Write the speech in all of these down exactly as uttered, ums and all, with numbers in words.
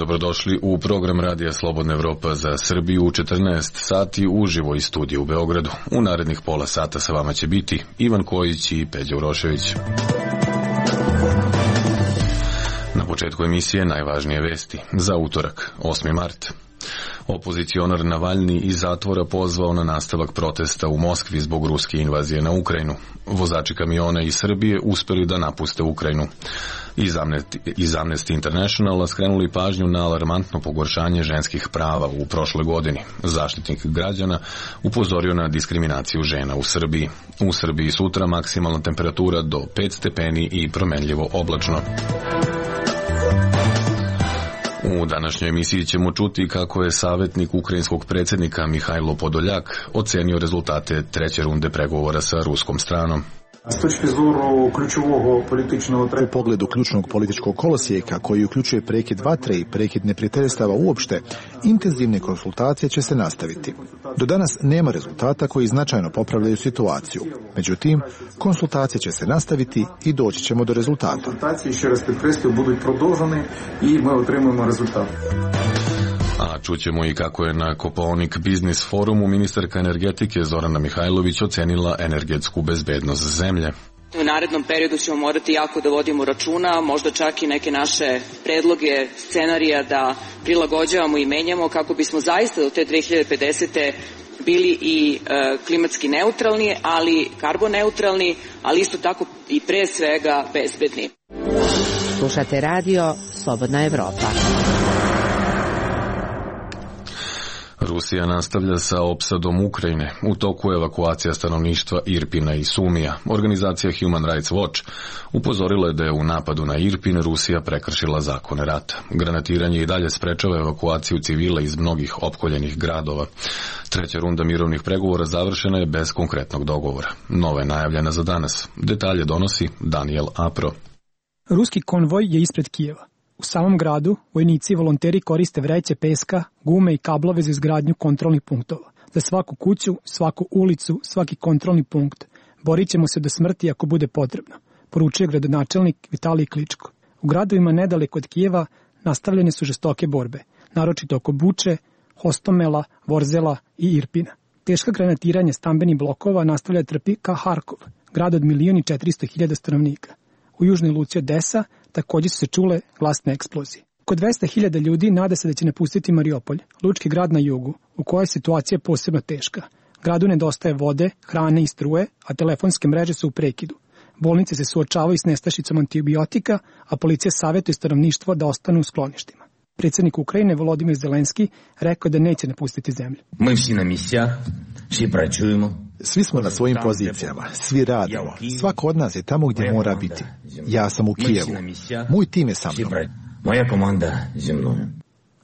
dobrodošli u program Radija Slobodna Evropa za Srbiju u četrnaest sati uživo iz studija u Beogradu. U narednih pola sata sa vama će biti Ivan Kojić i Peđa Urošević. Na početku emisije najvažnije vesti za utorak, osmi mart. Opozicionar Navalni iz zatvora pozvao na nastavak protesta u Moskvi zbog ruske invazije na Ukrajinu. Vozači kamiona iz Srbije uspeli da napuste Ukrajinu. Iz Amnesty Internationala skrenuli pažnju na alarmantno pogoršanje ženskih prava u prošloj godini. Zaštitnik građana upozorio na diskriminaciju žena u Srbiji. U Srbiji sutra maksimalna temperatura do pet stepeni i promenljivo oblačno. U današnjoj emisiji ćemo čuti kako je savjetnik ukrajinskog predsjednika Mihajlo Podoljak ocenio rezultate treće runde pregovora sa ruskom stranom. U pogledu ključnog političkog kolosijeka koji uključuje prekid vatre i prekid neprijateljstava uopšte, intenzivne konsultacije će se nastaviti. Do danas nema rezultata koji značajno popravljaju situaciju. Međutim, konsultacije će se nastaviti i doći ćemo do rezultata. Konsultacije, ще раз підкреслюю, будуть продовжені і ми отримаємо результат. A čućemo i kako je na Kopaonik Biznis forumu ministarka energetike Zorana Mihajlović ocenila energetsku bezbednost zemlje. U narednom periodu ćemo morati jako da vodimo računa, možda čak i neke naše predloge, scenarija da prilagođavamo i menjamo kako bismo zaista do te dve hiljade pedesete bili i e, klimatski neutralni, ali karboneutralni, ali isto tako i pre svega bezbedni. Slušate radio Slobodna Evropa. Rusija nastavlja sa opsadom Ukrajine. U toku je evakuacija stanovništva Irpina i Sumija. Organizacija Human Rights Watch upozorila je da je u napadu na Irpin Rusija prekršila zakone rata. Granatiranje i dalje sprečava evakuaciju civila iz mnogih opkoljenih gradova. Treća runda mirovnih pregovora završena je bez konkretnog dogovora. Nova je najavljena za danas. Detalje donosi Daniel Apro. Ruski konvoj je ispred Kijeva. U samom gradu vojnici i volonteri koriste vreće peska, gume i kablove za izgradnju kontrolnih punktova. Za svaku kuću, svaku ulicu, svaki kontrolni punkt. Borit ćemo se do smrti ako bude potrebno, poručuje gradonačelnik Vitalij Kličko. U gradovima nedaleko od Kijeva nastavljene su žestoke borbe, naročito oko Buče, Hostomela, Vorzela i Irpina. Teška granatiranja stambenih blokova nastavlja trpi ka Harkov, grad od milion i četiristo hiljada stanovnika. U južnoj luci Odesa također su se čule glasne eksplozije. Oko dvesta hiljada ljudi nada se da će napustiti Mariupolj, lučki grad na jugu, u kojoj je situacija posebno teška. Gradu nedostaje vode, hrane i struje, a telefonske mreže su u prekidu. Bolnice se suočavaju s nestašicom antibiotika, a policija savjetuje stanovništvo da ostanu u skloništima. Predsjednik Ukrajine Volodimir Zelenski rekao da neće napustiti zemlju. Mi svi na misijah, svi praćujemo. Svi smo na svojim pozicijama, svi radimo. Svako od nas je tamo gdje mora biti. Ja sam u Kijevu. Moj tim je sa mnom. Moja komanda je mnom.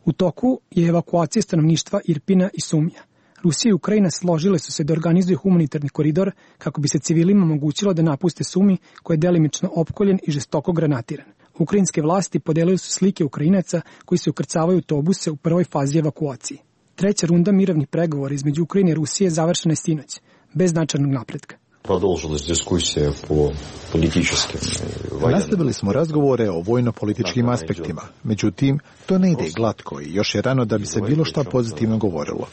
U toku je evakuacija stanovništva Irpina i Sumija. Rusija i Ukrajina složile su se da organizuju humanitarni koridor kako bi se civilima omogućilo da napuste Sumi koji je delimično opkoljen i žestoko granatiran. Ukrajinske vlasti podelili su slike Ukrajinaca koji se ukrcavaju u autobuse u prvoj fazi evakuacije. Treća runda mirovnih pregovora između Ukrajine i Rusije završena je sinoć, bez značajnog napretka. Nastavili smo razgovore o vojno-političkim aspektima, međutim, to ne ide glatko i još je rano da bi se bilo šta pozitivno govorilo.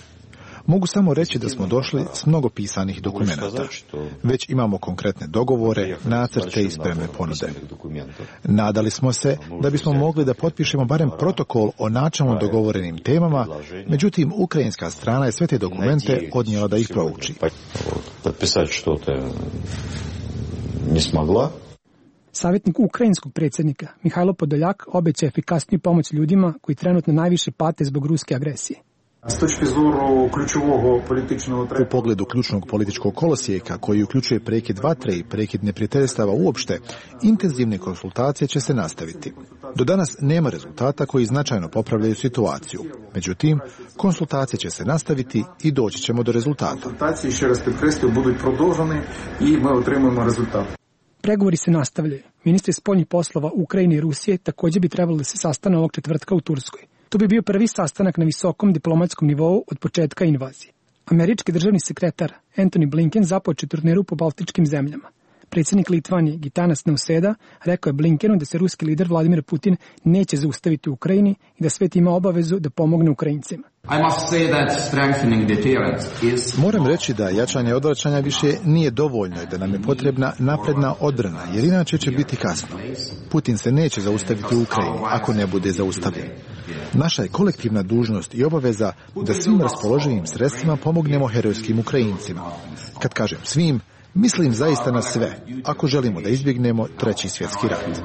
Mogu samo reći da smo došli s mnogo pisanih dokumenata. Već imamo konkretne dogovore, nacrte i spremne ponude. Nadali smo se da bismo mogli da potpišemo barem protokol o načelno dogovorenim temama, međutim, ukrajinska strana je sve te dokumente odnijela da ih prouči. Savjetnik ukrajinskog predsjednika Mihajlo Podoljak obeća efikasniju pomoć ljudima koji trenutno najviše pate zbog ruske agresije. U pogledu ključnog političkog kolosijeka koji uključuje prekid vatre i prekid neprijateljstava uopšte, intenzivne konsultacije će se nastaviti. Do danas nema rezultata koji značajno popravljaju situaciju. Međutim, konsultacije će se nastaviti i doći ćemo do rezultata. Konsultacije, ще раз підкреслюю, будуть продовжені і ми отримаємо результат. Pregovori se nastavljaju. Ministri spoljnih poslova Ukrajine i Rusije također bi trebalo da se sastane ovog četvrtka u Turskoj. To bi bio prvi sastanak na visokom diplomatskom nivou od početka invazije. Američki državni sekretar Antony Blinken započeo turneru po baltičkim zemljama. Predsjednik Litvanije Gitanas Nauseda rekao je Blinkenu da se ruski lider Vladimir Putin neće zaustaviti u Ukrajini i da svet ima obavezu da pomogne Ukrajincima. Moram reći da jačanje odvraćanja više nije dovoljno i da nam je potrebna napredna odbrana, jer inače će biti kasno. Putin se neće zaustaviti u Ukrajini ako ne bude zaustavljen. Naša je kolektivna dužnost i obaveza da svim raspoloživim sredstvima pomognemo herojskim Ukrajincima. Kad kažem svim, mislim zaista na sve, ako želimo da izbjegnemo treći svjetski rat.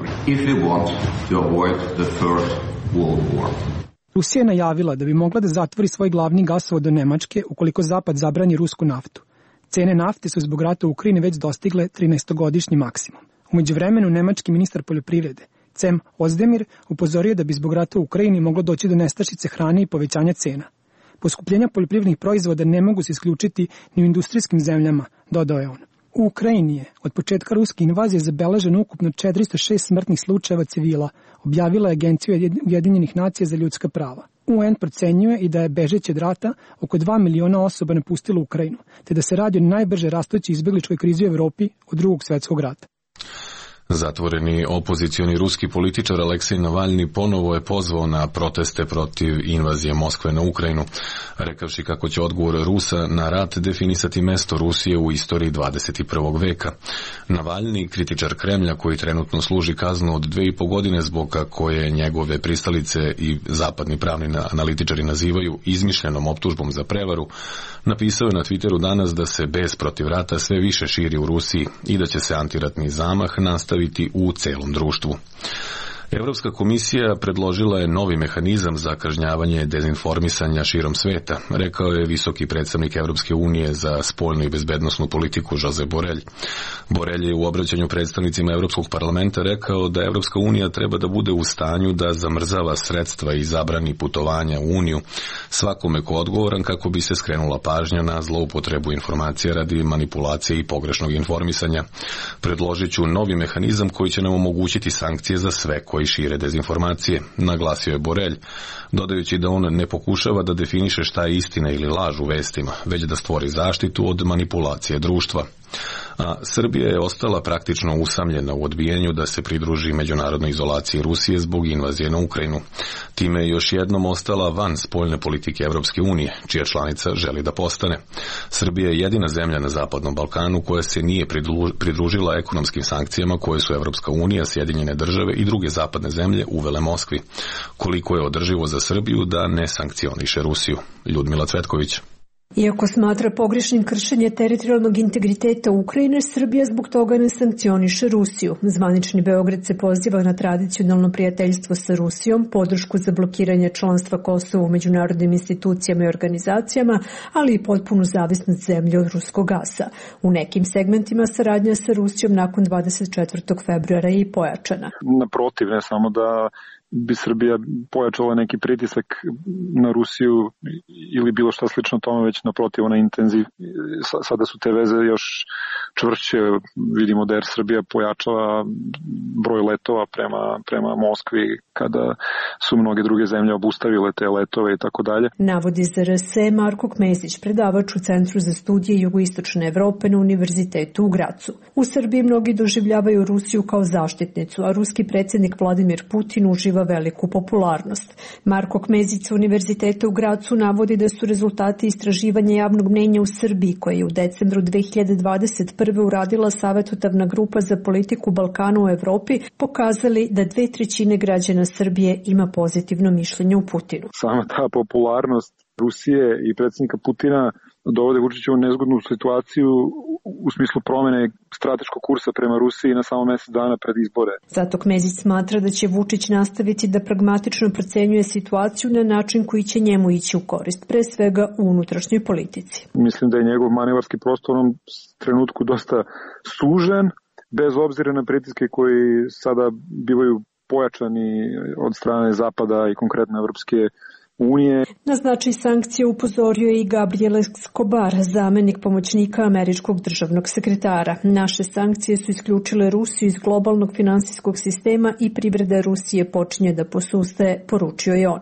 Rusija je najavila da bi mogla da zatvori svoj glavni gasovod do Nemačke ukoliko Zapad zabrani rusku naftu. Cene nafte su zbog rata u Ukrajini već dostigle trinaestogodišnji maksimum. U međuvremenu nemački ministar poljoprivrede Cem Ozdemir upozorio da bi zbog rata u Ukrajini moglo doći do nestašice hrane i povećanja cena. Poskupljenja poljoprivrednih proizvoda ne mogu se isključiti ni u industrijskim zemljama, dodao je on. U Ukrajini je od početka ruske invazije zabeleženo ukupno četiristo šest smrtnih slučajeva civila, objavila je Agencija Ujedinjenih nacija za ljudska prava. U en procenjuje i da je bežeći od rata oko dva miliona osoba napustilo Ukrajinu, te da se radi o najbrže rastućoj izbegličkoj krizi u Evropi od drugog svjetskog rata. Zatvoreni opozicioni ruski političar Aleksej Navalni ponovo je pozvao na proteste protiv invazije Moskve na Ukrajinu, rekavši kako će odgovor Rusa na rat definisati mesto Rusije u istoriji dvadeset prvog veka. Navalni, kritičar Kremlja koji trenutno služi kaznu od dve i po godine zbog koje njegove pristalice i zapadni pravni analitičari nazivaju izmišljenom optužbom za prevaru, napisao je na Twitteru danas da se bes protiv rata sve više širi u Rusiji i da će se antiratni zamah nastaviti u celom društvu. Europska komisija predložila je novi mehanizam za kažnjavanje dezinformisanja širom sveta, rekao je visoki predstavnik Europske unije za spoljnu i bezbednosnu politiku Josep Borrell. Borrell je u obraćanju predstavnicima Europskog parlamenta rekao da Europska unija treba da bude u stanju da zamrzava sredstva i zabrani putovanja u Uniju svakome ko odgovoran kako bi se skrenula pažnja na zloupotrebu informacija radi manipulacije i pogrešnog informisanja. Predložit ću novi mehanizam koji će nam omogućiti sankcije za sve koji šire dezinformacije, naglasio je Borrell, dodajući da on ne pokušava da definiše šta je istina ili laž u vestima, već da stvori zaštitu od manipulacije društva. A Srbija je ostala praktično usamljena u odbijenju da se pridruži međunarodnoj izolaciji Rusije zbog invazije na Ukrajinu. Time je još jednom ostala van spoljne politike Europske unije, čija članica želi da postane. Srbija je jedina zemlja na Zapadnom Balkanu koja se nije pridružila ekonomskim sankcijama koje su Europska unija, Sjedinjene države i druge zapadne zemlje uvele Moskvi. Koliko je održivo za Srbiju da ne sankcioniše Rusiju? Ljudmila Cvetković. Iako smatra pogrešnim kršenje teritorijalnog integriteta Ukrajine, Srbija zbog toga ne sankcioniše Rusiju. Zvanični Beograd se poziva na tradicionalno prijateljstvo sa Rusijom, podršku za blokiranje članstva Kosova u međunarodnim institucijama i organizacijama, ali i potpunu zavisnost zemlje od ruskog gasa. U nekim segmentima saradnja sa Rusijom nakon dvadeset četvrtog februara je i pojačana. Naprotiv, ne samo da bi Srbija pojačala neki pritisak na Rusiju ili bilo šta slično tome, već naprotiv ona intenziv. Sada su te veze još čvršće, vidimo da Air Srbija pojačava broj letova prema, prema Moskvi kada su mnoge druge zemlje obustavile te letove i tako dalje. Navodi Z R S Marko Kmezić, predavač u Centru za studije Jugoistočne Evrope na Univerzitetu u Gracu. U Srbiji mnogi doživljavaju Rusiju kao zaštitnicu, a ruski predsjednik Vladimir Putin uživa veliku popularnost. Marko Kmezić sa Univerziteta u Gracu navodi da su rezultati istraživanja javnog mnenja u Srbiji, koje je u decembru dve hiljade dvadeset prve uradila Savjetodavna grupa za politiku Balkana u Evropi, pokazali da dve trećine građana Srbije ima pozitivno mišljenje u Putinu. Sama ta popularnost Rusije i predsjednika Putina dovode Vučića u nezgodnu situaciju u smislu promjene strateškog kursa prema Rusiji na samo mjesec dana pred izbore. Zato Kmezić smatra da će Vučić nastaviti da pragmatično procenjuje situaciju na način koji će njemu ići u korist, pre svega u unutrašnjoj politici. Mislim da je njegov manevarski prostor u onom trenutku dosta sužen, bez obzira na pritiske koji sada bivaju pojačani od strane Zapada i konkretno Evropske unije. Na značaj sankcije upozorio je i Gabriel Escobar, zamenik pomoćnika američkog državnog sekretara. Naše sankcije su isključile Rusiju iz globalnog finansijskog sistema i privreda Rusije počinje da posustaje, poručio je on.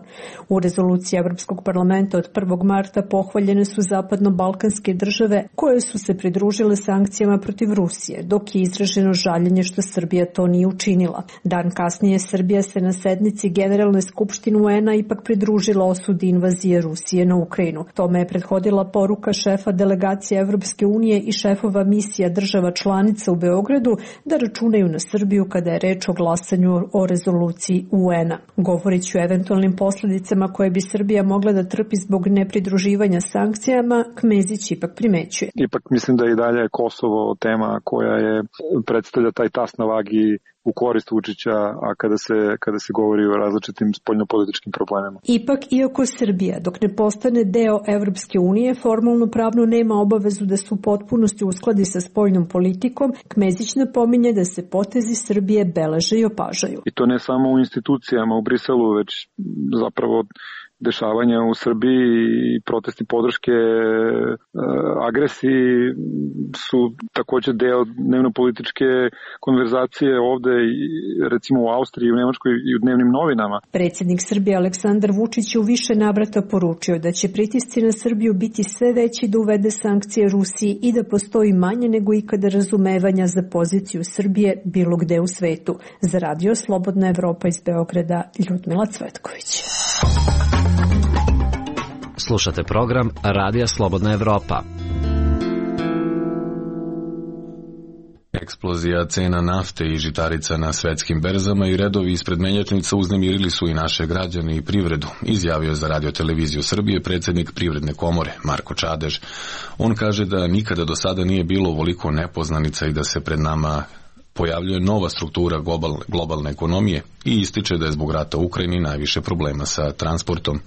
U rezoluciji Evropskog parlamenta od prvog marta pohvaljene su zapadno-balkanske države koje su se pridružile sankcijama protiv Rusije, dok je izraženo žaljenje što Srbija to nije učinila. Dan kasnije Srbija se na sednici Generalne skupštine U N-a ipak pridružila osudi invazije Rusije na Ukrajinu. Tome je prethodila poruka šefa delegacije Evropske unije i šefova misija država članica u Beogradu da računaju na Srbiju kada je reč o glasanju o rezoluciji U N-a. Govorići o eventualnim posljedicama koje bi Srbija mogla da trpi zbog nepridruživanja sankcijama, Kmezić ipak primećuje. Ipak mislim da i dalje je Kosovo tema koja je predstavlja taj tas na vagi u korist Vučića, a kada se, kada se govori o različitim spoljnopolitičkim problemima. Ipak, iako Srbija, dok ne postane deo Evropske unije, formalno pravno nema obavezu da se u potpunosti uskladi sa spoljnom politikom, Kmezić napominje da se potezi Srbije beleže i opažaju. I to ne samo u institucijama u Briselu, već zapravo dešavanja u Srbiji i protesti podrške e, agresiji su također deo dnevno-političke konverzacije ovde, recimo u Austriji, u Nemačkoj i u dnevnim novinama. Predsjednik Srbije Aleksandar Vučić je u više navrata poručio da će pritisci na Srbiju biti sve veći da uvede sankcije Rusiji i da postoji manje nego ikada razumevanja za poziciju Srbije bilo gde u svetu. Za radio Slobodna Evropa iz Beograda, Ljudmila Cvetković. Slušate program Radija Slobodna Evropa. Eksplozija cena nafte i žitarica na svetskim berzama i redovi ispred menjačnica uznemirili su i naše građane i privredu, izjavio za Radio-televiziju Srbije predsjednik Privredne komore Marko Čadež. On kaže da nikada do sada nije bilo ovoliko nepoznanica i da se pred nama pojavljuje nova struktura globalne, globalne ekonomije i ističe da je zbog rata u Ukrajini najviše problema sa transportom.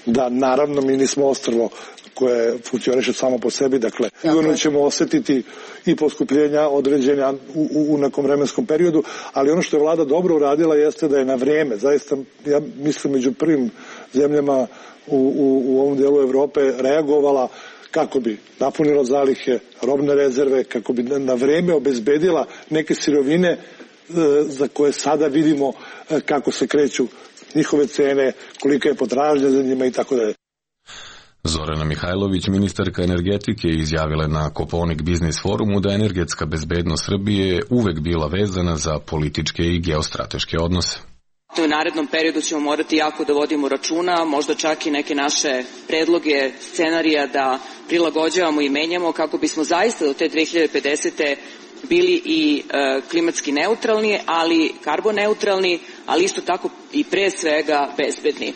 Da, naravno, mi nismo ostrvo koje funkcioniše samo po sebi, dakle, sigurno ćemo osjetiti i poskupljenja određenja u, u, u nekom vremenskom periodu, ali ono što je vlada dobro uradila jeste da je na vrijeme, zaista, ja mislim, među prvim zemljama u, u, u ovom dijelu Evrope reagovala kako bi napunila zalihe, robne rezerve, kako bi na vrijeme obezbedila neke sirovine e, za koje sada vidimo e, kako se kreću njihove cene, kolika je potražnja za njima i tako dalje. Zorana Mihajlović, ministarka energetike, izjavila na Kopaonik Biznis forumu da energetska bezbednost Srbije je uvek bila vezana za političke i geostrateške odnose. U narednom periodu ćemo morati jako da vodimo računa, možda čak i neke naše predloge, scenarija da prilagođavamo i menjamo kako bismo zaista do te dve hiljade pedesete bili i e, klimatski neutralni, ali karboneutralni, ali isto tako i pre svega bezbedni. E,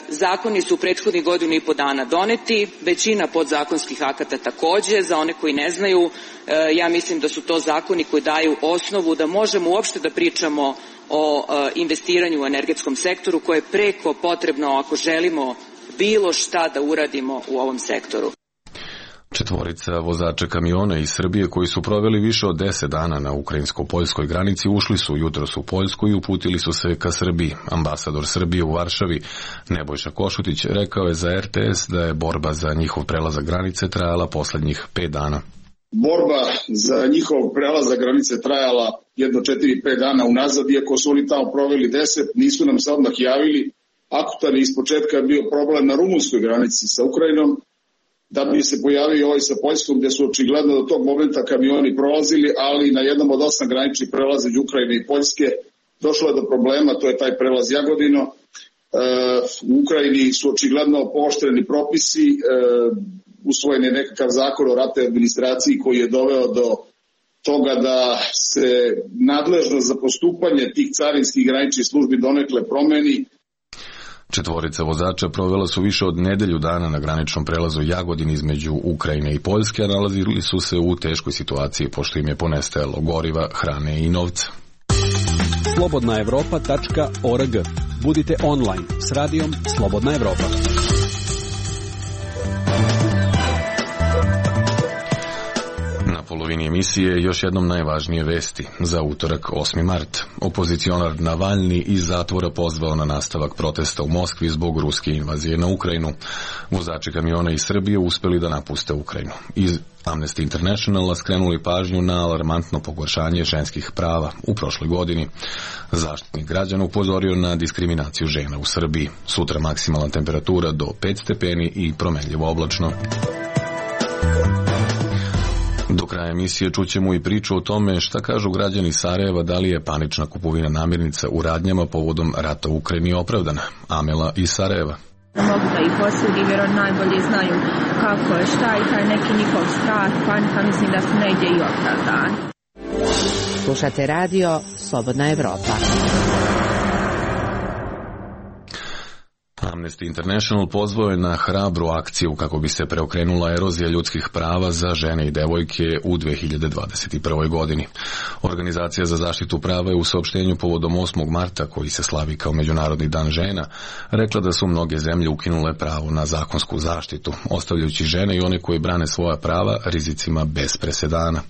zakoni su u prethodnih godinu i po dana doneti, većina podzakonskih akata takođe, za one koji ne znaju, e, ja mislim da su to zakoni koji daju osnovu da možemo uopšte da pričamo o e, investiranju u energetskom sektoru koje je preko potrebno ako želimo bilo šta da uradimo u ovom sektoru. Četvorica vozača kamiona iz Srbije koji su proveli više od deset dana na ukrajinsko-poljskoj granici ušli su jutros u Poljsku i uputili su se ka Srbiji. Ambasador Srbije u Varšavi Nebojša Košutić rekao je za R T S da je borba za njihov prelazak granice trajala poslednjih pet dana. Borba za njihov prelazak granice trajala jedno četiri pet dana unazad, iako su oni tamo proveli deset, nisu nam se odmah javili. Akutan je ispočetka bio problem na rumunskoj granici sa Ukrajinom, da bi se pojavio ovaj sa Poljskom, gdje su očigledno do tog momenta kamioni prolazili, ali na jednom od osam graničnih prelaza između Ukrajine i Poljske došlo je do problema, to je taj prelaz Jagodino. E, u Ukrajini su očigledno pooštreni propisi, e, usvojen je nekakav zakon o ratnoj administraciji koji je doveo do toga da se nadležnost za postupanje tih carinskih graničnih službi donekle promeni. Četvorica vozača provela su više od nedelju dana na graničnom prelazu Jagodin između Ukrajine i Poljske, a nalazili su se u teškoj situaciji pošto im je ponestajalo goriva, hrane i novca. slobodna evropa tačka org. Budite online s radijom Slobodna Evropa. Na polovini emisije još jednom najvažnije vesti za utorak osmi mart. Opozicionar Navalni iz zatvora pozvao na nastavak protesta u Moskvi zbog ruske invazije na Ukrajinu. Vozači kamiona iz Srbije uspeli da napuste Ukrajinu. Iz Amnesty Internationala skrenuli pažnju na alarmantno pogoršanje ženskih prava u prošloj godini. Zaštitnik građana upozorio na diskriminaciju žena u Srbiji. Sutra maksimalna temperatura do pet stepeni i promenljivo oblačno. Do kraja emisije čućemo i priču o tome šta kažu građani Sarajeva, da li je panična kupovina namirnica u radnjama povodom rata u Ukrajini opravdana. Amela iz Sarajeva. Mogu da ih osudim jer oni najbolje znaju kako je, šta i taj neki njihov strah, panika, mislim da su negdje i opravdani. Slušate radio Slobodna Evropa. Amnesty International pozvao je na hrabru akciju kako bi se preokrenula erozija ljudskih prava za žene i devojke u dve hiljade dvadeset prvoj godini. Organizacija za zaštitu prava je u saopštenju povodom osmog marta, koji se slavi kao Međunarodni dan žena, rekla da su mnoge zemlje ukinule pravo na zakonsku zaštitu, ostavljajući žene i one koje brane svoja prava rizicima bez presedana.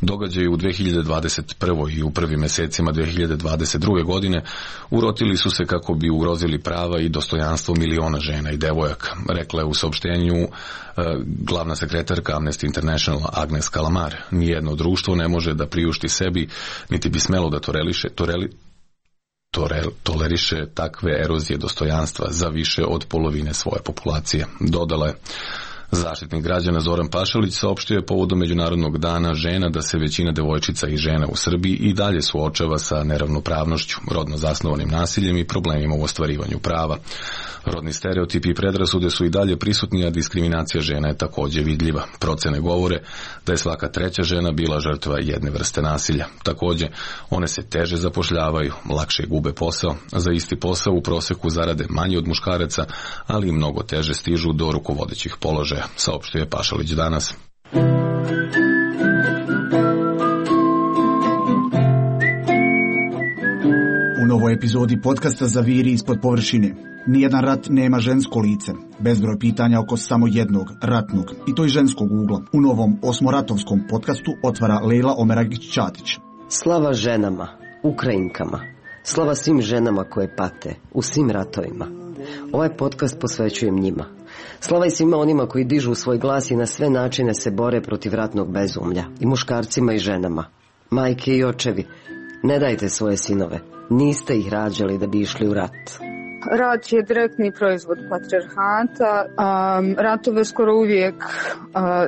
Događaji u dve hiljade dvadeset prvoj i u prvim mesecima dve hiljade dvadeset druge godine urotili su se kako bi ugrozili prava i dostojanstvo miliona žena i devojaka, rekla je u saopštenju uh, glavna sekretarka Amnesty International Agnes Kalamar. Nijedno društvo ne može da priušti sebi, niti bi smelo da toreliše, toreli, torel, toleriše takve erozije dostojanstva za više od polovine svoje populacije, dodala je. Zaštitnik građana Zoran Pašalić saopštio je povodom Međunarodnog dana žena da se većina devojčica i žena u Srbiji i dalje suočava sa neravnopravnošću, rodno zasnovanim nasiljem i problemima u ostvarivanju prava. Rodni stereotipi i predrasude su i dalje prisutni, a diskriminacija žena je također vidljiva. Procene govore da je svaka treća žena bila žrtva jedne vrste nasilja. Također, one se teže zapošljavaju, lakše gube posao, za isti posao u proseku zarade manje od muškaraca, ali i mnogo teže stižu do rukovodećih položaja, saopštio je Pašalić danas. U novoj epizodi podcasta Zaviri ispod površine. Nijedan rat nema žensko lice. Bezbroj pitanja oko samo jednog, ratnog, i to i ženskog ugla. U novom osmoratovskom podcastu otvara Lejla Omeragić-Ćatić. Slava ženama, Ukrajinkama. Slava svim ženama koje pate u svim ratovima. Ovaj podcast posvećujem njima. Slava i svima onima koji dižu svoj glas i na sve načine se bore protiv ratnog bezumlja. I muškarcima i ženama. Majke i očevi, ne dajte svoje sinove. Niste ih rađali da bi išli u rat. Rat je direktni proizvod patrijarhata. Um, ratove skoro uvijek uh,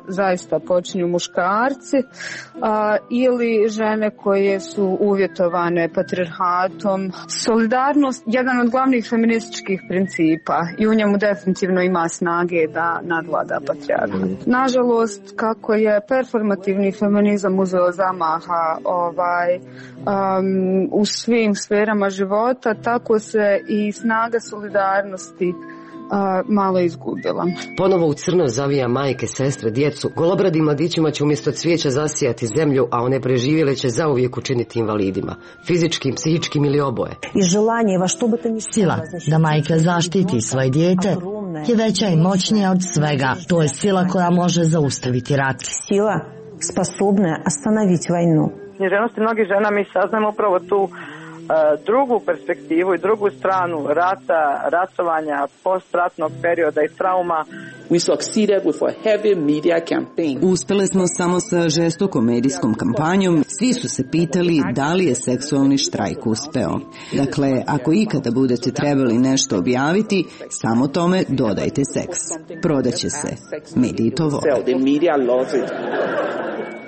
zaista počinju muškarci uh, ili žene koje su uvjetovane patrijarhatom. Solidarnost je jedan od glavnih feminističkih principa i u njemu definitivno ima snage da nadvlada patrijarhat. Nažalost, kako je performativni feminizam uzeo zamaha ovaj, um, u svim sferama života, tako se i snaga snaga solidarnosti a, malo izgubila. Ponovo u crno zavija majke, sestre, djecu. Golobradim mladićima će umjesto cvijeća zasijati zemlju, a one preživjele će zauvijek učiniti invalidima. Fizičkim, psihičkim ili oboje. Sila da majka zaštiti svoje dijete je veća i moćnija od svega. To je sila koja može zaustaviti rat. Sila sposobna ostanoviti vojnu. Književnosti mnogih žena mi saznamo upravo tu drugu perspektivu i drugu stranu rata, ratovanja, postratnog perioda i trauma. We succeeded with a heavy media campaign. Uspjeli smo samo sa žestokom medijskom kampanjom. Svi su se pitali da li je seksualni štrajk uspeo. Dakle, ako ikada budete trebali nešto objaviti, samo tome dodajte seks. Prodaće se. Mediji to vole.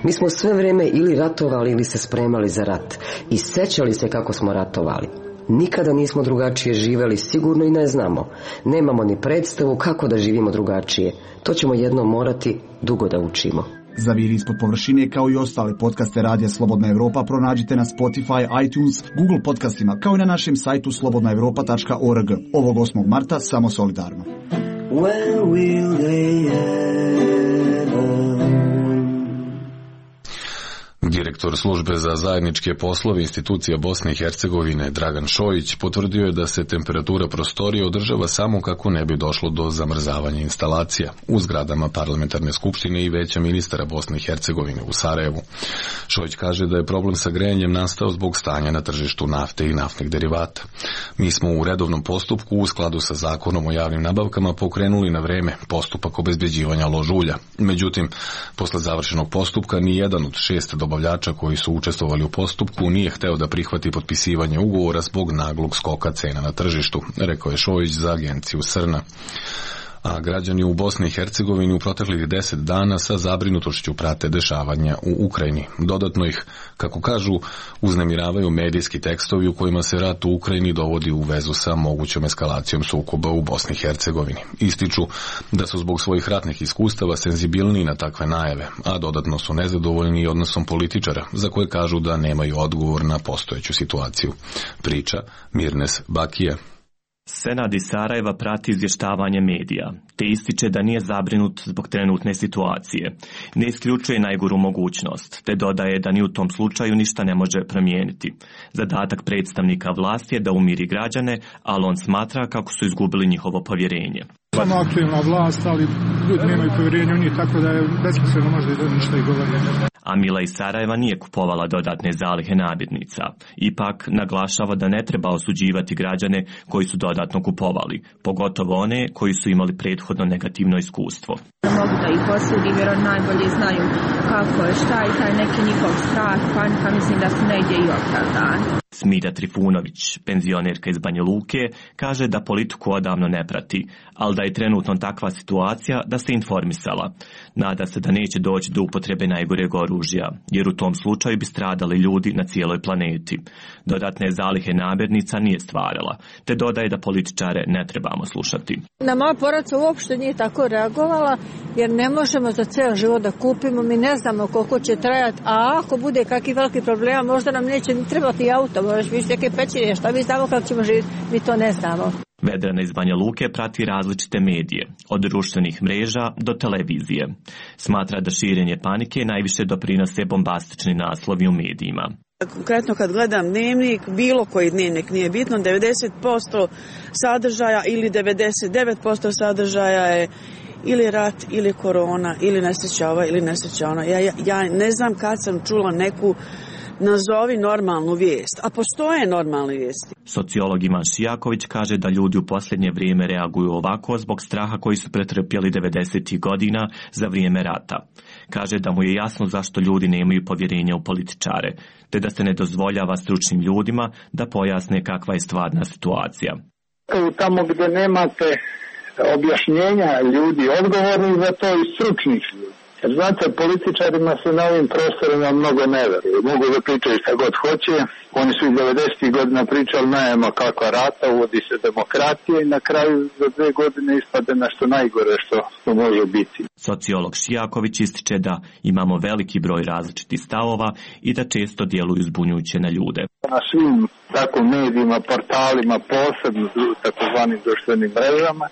Mi smo sve vrijeme ili ratovali ili se spremali za rat i sećali se kako smo ratovali. Nikada nismo drugačije živjeli, sigurno i ne znamo. Nemamo ni predstavu kako da živimo drugačije. To ćemo jednom morati dugo da učimo. Zaviri ispod površine kao i ostale podcaste Radija Slobodna Evropa pronađite na Spotify, iTunes, Google podcastima kao i na našem sajtu slobodna evropa tačka org. Ovog osmog marta samo solidarno. When will they ever... Direktor službe za zajedničke poslove institucija Bosne i Hercegovine Dragan Šojić potvrdio je da se temperatura prostorije održava samo kako ne bi došlo do zamrzavanja instalacija u zgradama Parlamentarne skupštine i Veća ministara Bosne i Hercegovine u Sarajevu. Šojić kaže da je problem sa grejanjem nastao zbog stanja na tržištu nafte i naftnih derivata. Mi smo u redovnom postupku u skladu sa zakonom o javnim nabavkama pokrenuli na vreme postupak obezbeđivanja ložulja. Međutim, posle završenog postupka ni jedan od šest dobavljača koji su učestvovali u postupku nije hteo da prihvati potpisivanje ugovora zbog naglog skoka cena na tržištu, rekao je Šojić za agenciju Srna. A građani u Bosni i Hercegovini u proteklih deset dana sa zabrinutošću prate dešavanja u Ukrajini. Dodatno ih, kako kažu, uznemiravaju medijski tekstovi u kojima se rat u Ukrajini dovodi u vezu sa mogućom eskalacijom sukoba u Bosni i Hercegovini. Ističu da su zbog svojih ratnih iskustava senzibilniji na takve najave, a dodatno su nezadovoljni i odnosom političara, za koje kažu da nemaju odgovor na postojeću situaciju. Priča Mirnes Bakija. Senad iz Sarajeva prati izvještavanje medija, te ističe da nije zabrinut zbog trenutne situacije. Ne isključuje najgoru mogućnost, te dodaje da ni u tom slučaju ništa ne može promijeniti. Zadatak predstavnika vlasti je da umiri građane, ali on smatra kako su izgubili njihovo povjerenje. Samo aktualna vlast, ali ljudi nemaju povjerenje u njih, tako da je besmisleno možda i da ništa i govori. A Mila iz Sarajeva nije kupovala dodatne zalihe namirnica. Ipak naglašava da ne treba osuđivati građane koji su dodatno kupovali, pogotovo one koji su imali prethodno negativno iskustvo. Mogu da ih osudim jer oni najbolje znaju kako je, šta je taj neki njihov strah, panika, mislim da su negdje i opravdani. Smilja Trifunović, penzionerka iz Banja Luke, kaže da politiku odavno ne prati, ali da je trenutno takva situacija da se informisala. Nada se da neće doći do upotrebe najgoreg oružja, jer u tom slučaju bi stradali ljudi na cijeloj planeti. Dodatne zalihe namirnica nije stvarala, te dodaje da političare ne trebamo slušati. Na moja porodica uopšte nije tako reagovala, jer ne možemo za ceo život da kupimo, mi ne znamo koliko će trajati, a ako bude kakvi veliki problema, možda nam neće ni trebati auto, možeš biti neke pećine, šta mi znamo kako ćemo živjeti, mi to ne znamo. Vedrana iz Banja Luke prati različite medije, od društvenih mreža do televizije. Smatra da širenje panike najviše doprinose bombastični naslovi u medijima. Konkretno kad gledam dnevnik, bilo koji dnevnik, nije bitno, devedeset posto sadržaja ili devedeset devet posto sadržaja je ili rat, ili korona, ili nesreća ova, ili nesreća ona. Ja, ja, ja ne znam kad sam čula neku nazovi normalnu vijest, a postoje normalne vijesti. Sociolog Ivan Šijaković kaže da ljudi u posljednje vrijeme reaguju ovako zbog straha koji su pretrpjeli devedesetih godina za vrijeme rata. Kaže da mu je jasno zašto ljudi nemaju povjerenja u političare, te da se ne dozvoljava stručnim ljudima da pojasne kakva je stvarna situacija. Tamo gdje nemate objašnjenja ljudi odgovorni za to i stručnih ljudi. Jer znate, političarima se na ovim prostorima mnogo ne veruju. Mogu da pričaju šta god hoće. Oni su i devedesetih godina pričali nema kakva rata, uvodi se demokratija i na kraju za dve godine ispade nešto najgore što, što može biti. Sociolog Šijaković ističe da imamo veliki broj različitih stavova i da često djeluju zbunjujuće na ljude. Na svim tako medijima, portalima, posebno takozvanim društvenim mrežama,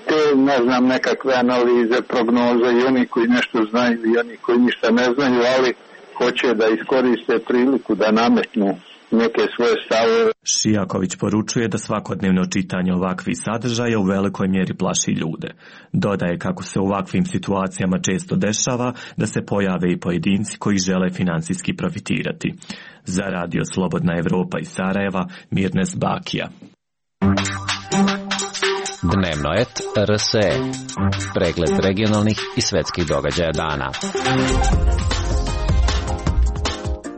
te, ne znam, nekakve analize, prognoze i oni koji nešto znaju i oni koji ništa ne znaju, ali hoće da iskoriste priliku da nametnu neke svoje stavove. Šijaković poručuje da svakodnevno čitanje ovakvih sadržaja u velikoj mjeri plaši ljude. Dodaje kako se u ovakvim situacijama često dešava da se pojave i pojedinci koji žele financijski profitirati. Za Radio Slobodna Evropa iz Sarajeva, Mirnes Bakija. Dnevno et R S E. Pregled regionalnih i svetskih događaja dana.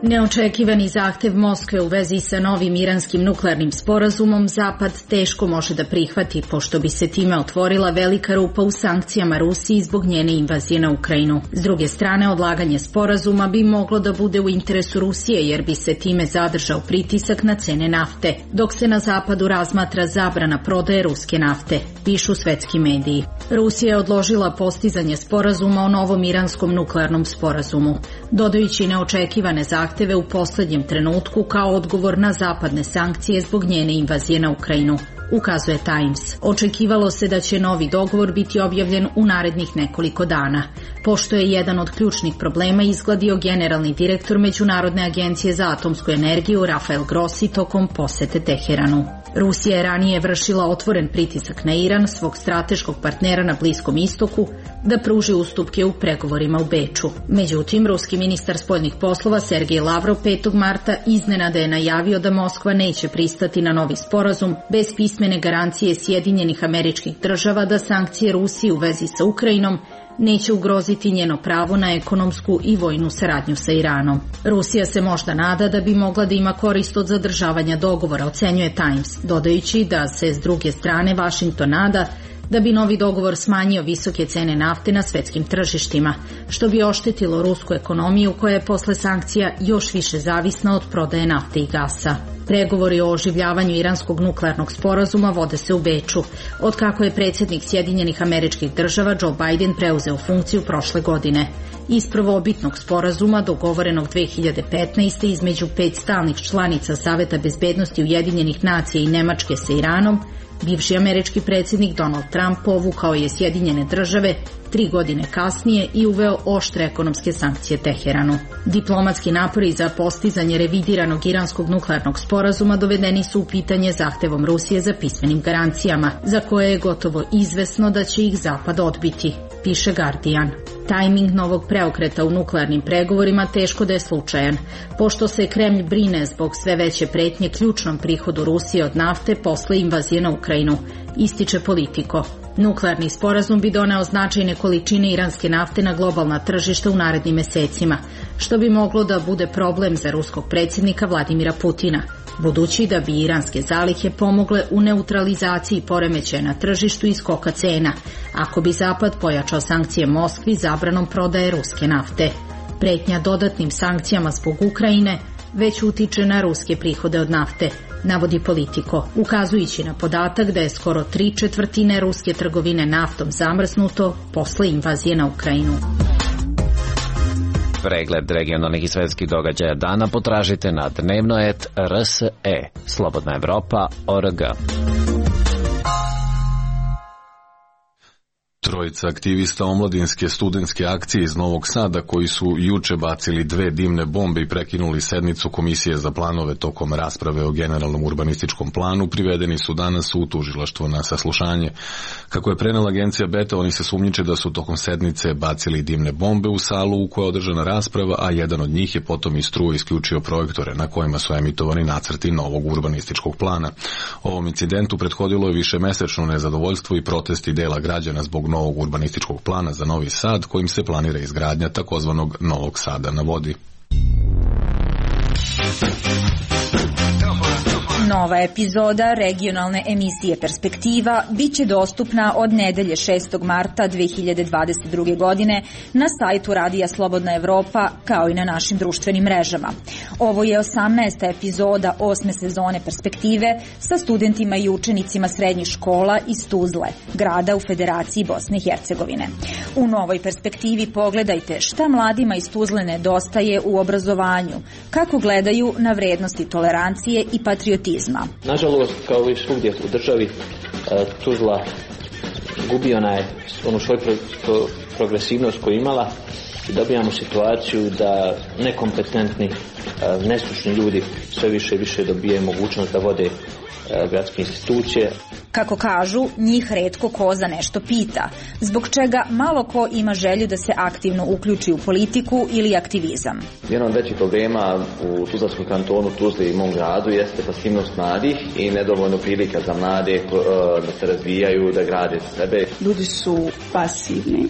Neočekivani zahtev Moskve u vezi sa novim iranskim nuklearnim sporazumom Zapad teško može da prihvati, pošto bi se time otvorila velika rupa u sankcijama Rusiji zbog njene invazije na Ukrajinu. S druge strane, odlaganje sporazuma bi moglo da bude u interesu Rusije, jer bi se time zadržao pritisak na cene nafte, dok se na Zapadu razmatra zabrana prodaje ruske nafte, pišu svetski mediji. Rusija je odložila postizanje sporazuma o novom iranskom nuklearnom sporazumu, dodajući neočekivane zahteve u posljednjem trenutku kao odgovor na zapadne sankcije zbog njene invazije na Ukrajinu. ukazuje Times. Očekivalo se da će novi dogovor biti objavljen u narednih nekoliko dana, pošto je jedan od ključnih problema izgladio generalni direktor Međunarodne agencije za atomsku energiju Rafael Grossi tokom posete Teheranu. Rusija je ranije vršila otvoren pritisak na Iran, svog strateškog partnera na Bliskom istoku, da pruži ustupke u pregovorima u Beču. Međutim, ruski ministar spoljnih poslova Sergej Lavrov petog marta iznenada je najavio da Moskva neće pristati na novi sporazum bez pismene garancije Sjedinjenih Američkih Država da sankcije Rusiji u vezi sa Ukrajinom neće ugroziti njeno pravo na ekonomsku i vojnu saradnju sa Iranom. Rusija se možda nada da bi mogla da ima korist od zadržavanja dogovora, ocenjuje Times, dodajući da se s druge strane Vašington nada da bi novi dogovor smanjio visoke cene nafte na svetskim tržištima, što bi oštetilo rusku ekonomiju koja je posle sankcija još više zavisna od prodaje nafte i gasa. Pregovori o oživljavanju iranskog nuklearnog sporazuma vode se u Beču, od kako je predsjednik Sjedinjenih Američkih Država Joe Biden preuzeo funkciju prošle godine. Iz prvobitnog sporazuma dogovorenog dve hiljade petnaeste. između pet stalnih članica Saveta bezbednosti Ujedinjenih nacija i Nemačke sa Iranom, bivši američki predsjednik Donald Trump povukao je Sjedinjene Države tri godine kasnije i uveo oštre ekonomske sankcije Teheranu. Diplomatski napori za postizanje revidiranog iranskog nuklearnog sporazuma dovedeni su u pitanje zahtevom Rusije za pismenim garancijama, za koje je gotovo izvesno da će ih Zapad odbiti, piše Guardian. Tajming novog preokreta u nuklearnim pregovorima teško da je slučajan, pošto se Kremlj brine zbog sve veće pretnje ključnom prihodu Rusije od nafte posle invazije na Ukrajinu, ističe Politico. Nuklearni sporazum bi doneo značajne količine iranske nafte na globalna tržišta u narednim mesecima, što bi moglo da bude problem za ruskog predsjednika Vladimira Putina, budući da bi iranske zalihe pomogle u neutralizaciji poremećaja na tržištu i skoka cena, ako bi Zapad pojačao sankcije Moskvi zabranom prodaje ruske nafte. Pretnja dodatnim sankcijama zbog Ukrajine već utiče na ruske prihode od nafte, navodi Politico, ukazujući na podatak da je skoro tri četvrtine ruske trgovine naftom zamrznuto posle invazije na Ukrajinu. Pregled regionalnih i svetskih događaja dana potražite na dnevno et er es e, slobodna evropa tačka org. Trojica aktivista omladinske studentske akcije iz Novog Sada koji su juče bacili dve dimne bombe i prekinuli sednicu Komisije za planove tokom rasprave o generalnom urbanističkom planu privedeni su danas u tužilaštvo na saslušanje. Kako je prenela agencija Beta, oni se sumnjiče da su tokom sednice bacili dimne bombe u salu u kojoj je održana rasprava, a jedan od njih je potom iz struje isključio projektore na kojima su emitovani nacrti novog urbanističkog plana. Ovom incidentu prethodilo je višemesečno nezadovoljstvo i protesti dela građana zbog novog urbanističkog plana za Novi Sad kojim se planira izgradnja takozvanog Novog Sada na vodi. Nova epizoda regionalne emisije Perspektiva biće dostupna od nedelje šestog marta dve hiljade dvadeset druge. godine na sajtu Radija Slobodna Evropa kao i na našim društvenim mrežama. Ovo je osamnaesta epizoda osme sezone Perspektive sa studentima i učenicima srednjih škola iz Tuzle, grada u Federaciji Bosne i Hercegovine. U novoj Perspektivi pogledajte šta mladima iz Tuzle nedostaje u obrazovanju, kako gledaju na vrednosti tolerancije i patriotizma. Nažalost, kao i svugdje u državi, Tuzla gubi onaj, onu svoju pro, pro, progresivnost koju imala i dobijamo situaciju da nekompetentni, nestručni ljudi sve više i više dobijaju mogućnost da vode gradske institucije. Kako kažu, njih retko ko za nešto pita, zbog čega malo ko ima želju da se aktivno uključi u politiku ili aktivizam. Jedan od većih problema u Tuzlanskom kantonu, Tuzli i mom gradu jeste pasivnost mladih i nedovoljno prilika za mlade da se razvijaju, da grade sebe. Ljudi su pasivni.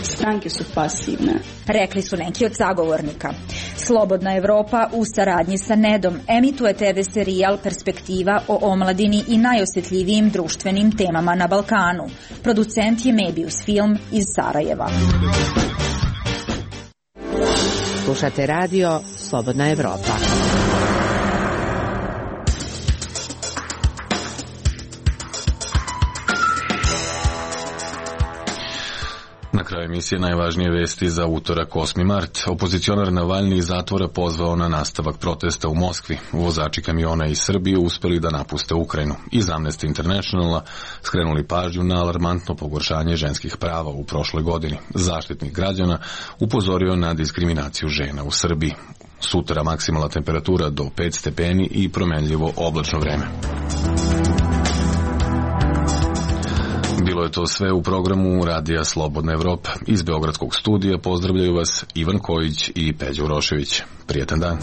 Stranke su pasivne. Rekli su neki od sagovornika. Slobodna Evropa u saradnji sa Nedom emituje te ve serijal Perspektiva o omladini i najosjetljivijim društvenim temama na Balkanu. Producent je Mebius Film iz Sarajeva. Slušate radio Slobodna Evropa. Na kraju emisije najvažnije vesti za utorak osmi mart. Opozicionar Navalni iz zatvora pozvao na nastavak protesta u Moskvi. Vozači kamiona iz Srbije uspeli da napuste Ukrajinu. Iz Amnesty Internationala skrenuli pažnju na alarmantno pogoršanje ženskih prava u prošloj godini. Zaštitnik građana upozorio na diskriminaciju žena u Srbiji. Sutra maksimalna temperatura do pet stepeni i promenljivo oblačno vreme. Bilo je to sve u programu Radija Slobodna Evropa. Iz Beogradskog studija pozdravljaju vas Ivan Kojić i Peđa Urošević. Prijetan dan.